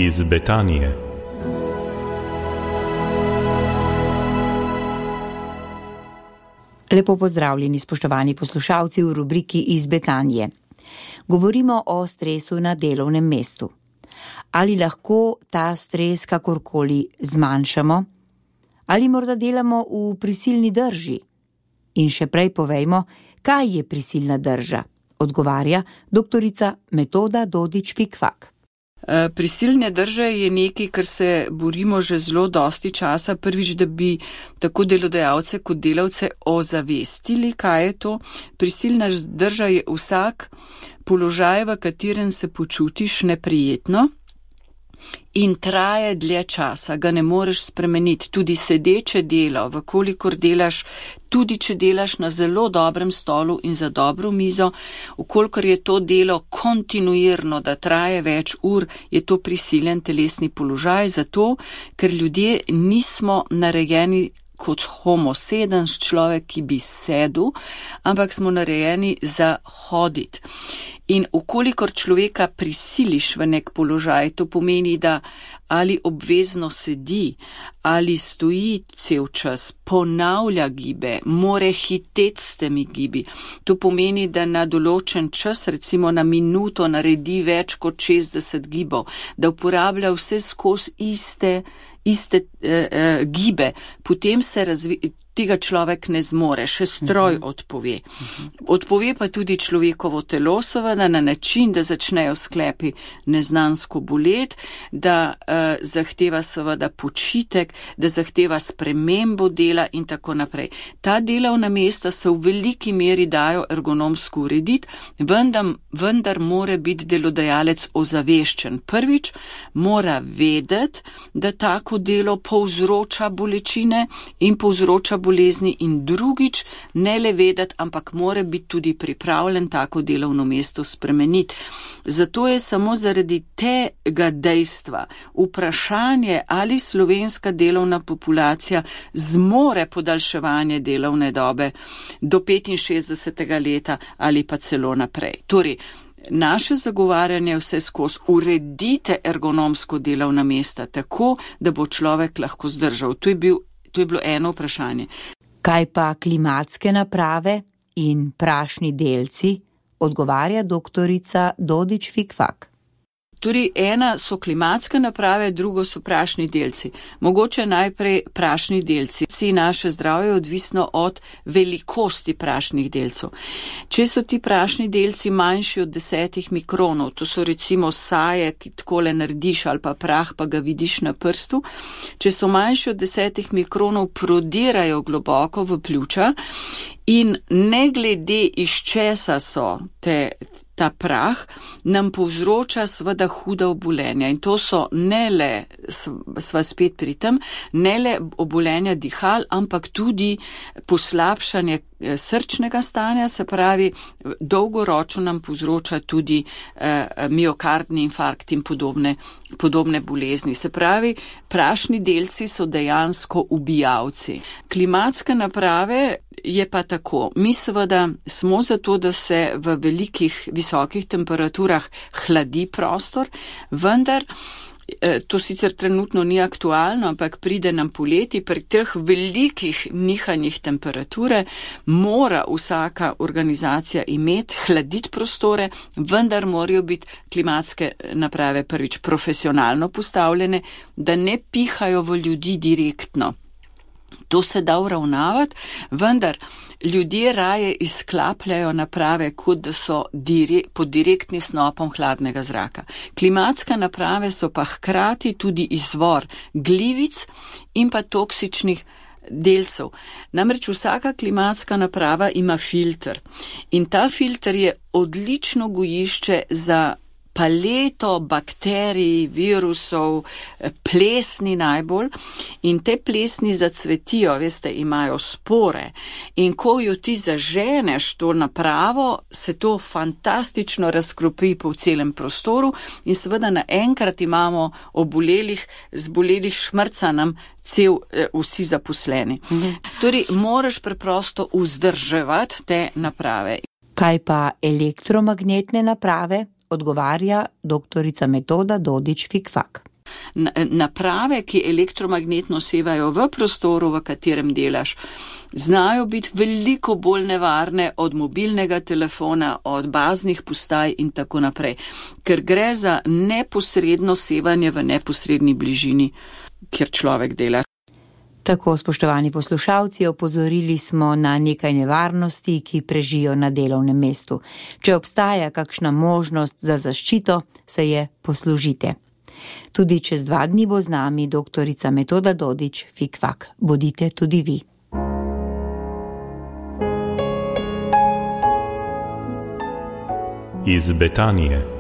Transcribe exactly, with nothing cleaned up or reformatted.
iz Betanije. Lepo pozdravljeni, spoštovani poslušalci v rubriki iz Betanije. Govorimo o stresu na delovnem mestu. Ali lahko ta stres kakorkoli zmanjšamo? Ali morda delamo v prisilni drži? In še prej povejmo, kaj je prisilna drža? Odgovarja doktorica Metoda Dodič-Fikfak. Prisilne drže je nekaj, kar se borimo že zelo dosti časa. Prvič, da bi tako delodajalce kot delavce ozavestili, kaj je to. Prisilna drža je vsak položaj, v katerem se počutiš neprijetno in traje dlje časa, ga ne moreš spremeniti. Tudi sedeče delo, vkolikor delaš, tudi če delaš na zelo dobrem stolu in za dobro mizo, vkolikor je to delo kontinuirno, da traje več ur, je to prisilen telesni položaj, zato ker ljudje nismo narejeni kot homo sedens, človek, ki bi sedel, ampak smo narejeni za hoditi. In ukolikor človeka prisiliš v nek položaj, to pomeni, da ali obvezno sedi, ali stoji cel čas, ponavlja gibe, more hiteti s temi gibi. To pomeni, da na določen čas, recimo na minuto, naredi več kot šestdeset gibov, da uporablja vse skozi iste, iste eh, eh, gibe, potem se razvija. Tega človek ne zmore, še stroj odpove. Odpove pa tudi človekovo telo, seveda na način, da začnejo sklepi neznansko boleti, da uh, zahteva seveda počitek, da zahteva spremembo dela in tako naprej. Ta delovna mesta se v veliki meri dajo ergonomsko urediti, vendar, vendar mora biti delodajalec ozaveščen. Prvič, mora vedeti, da tako delo povzroča bolečine in povzroča bolezni, in drugič, ne le vedeti, ampak mora biti tudi pripravljen tako delovno mesto spremeniti. Zato je samo zaradi tega dejstva vprašanje, ali slovenska delovna populacija zmore podaljševanje delovne dobe do petinšestdesetega leta ali pa celo naprej. Torej, naše zagovarjanje vse skozi uredite ergonomsko delovna mesta tako, da bo človek lahko zdržal. To je bil To je bilo eno vprašanje. Kaj pa klimatske naprave in prašni delci, odgovarja doktorica Dodič-Fikfak. Torej, ena so klimatske naprave, drugo so prašni delci. Mogoče najprej prašni delci. Naše zdravje je odvisno od velikosti prašnih delcev. Če so ti prašni delci manjši od desetih mikronov, to so recimo saje, ki takole narediš, ali pa prah, pa ga vidiš na prstu, če so manjši od desetih mikronov, prodirajo globoko v pljuča in ne glede iz česa so te ta prah, nam povzroča seveda huda obolenja. In to so ne le, sva spet pri tem, ne le obolenja dihal, ampak tudi poslabšanje srčnega stanja, se pravi, dolgoročno nam povzroča tudi eh, miokardni infarkt in podobne, podobne bolezni. Se pravi, prašni delci so dejansko ubijalci. Klimatske naprave je pa tako. Mi seveda smo zato, da se v velikih, visokih temperaturah hladi prostor, vendar to sicer trenutno ni aktualno, ampak pride nam poleti, pri teh velikih nihanjih temperature mora vsaka organizacija imeti, hladiti prostore, vendar morajo biti klimatske naprave prvič profesionalno postavljene, da ne pihajo v ljudi direktno. To se da uravnavati, vendar ljudje raje izklapljajo naprave, kot da so dire, pod direktnim snopom hladnega zraka. Klimatske naprave so pa hkrati tudi izvor glivic in pa toksičnih delcev. Namreč vsaka klimatska naprava ima filter in ta filter je odlično gojišče za paleto bakterij, virusov, plesni najbolj, in te plesni zacvetijo, veste, imajo spore, in ko jo ti zaženeš to napravo, se to fantastično razkropi po celem prostoru in seveda naenkrat imamo obolelih, zbolelih šmrca nam cel, vsi zaposleni. Mhm. Torej, moraš preprosto vzdrževati te naprave. Kaj pa elektromagnetne naprave? Odgovarja doktorica Metoda Dodič-Fikfak. Naprave, ki elektromagnetno sevajo v prostoru, v katerem delaš, znajo biti veliko bolj nevarne od mobilnega telefona, od baznih postaj in tako naprej, ker gre za neposredno sevanje v neposredni bližini, kjer človek dela. Tako, spoštovani poslušalci, opozorili smo na nekaj nevarnosti, ki prežijo na delovnem mestu. Če obstaja kakšna možnost za zaščito, se je poslužite. Tudi čez dva dni bo z nami doktorica Metoda Dodič, Fikfak. Bodite tudi vi. Iz Betanije.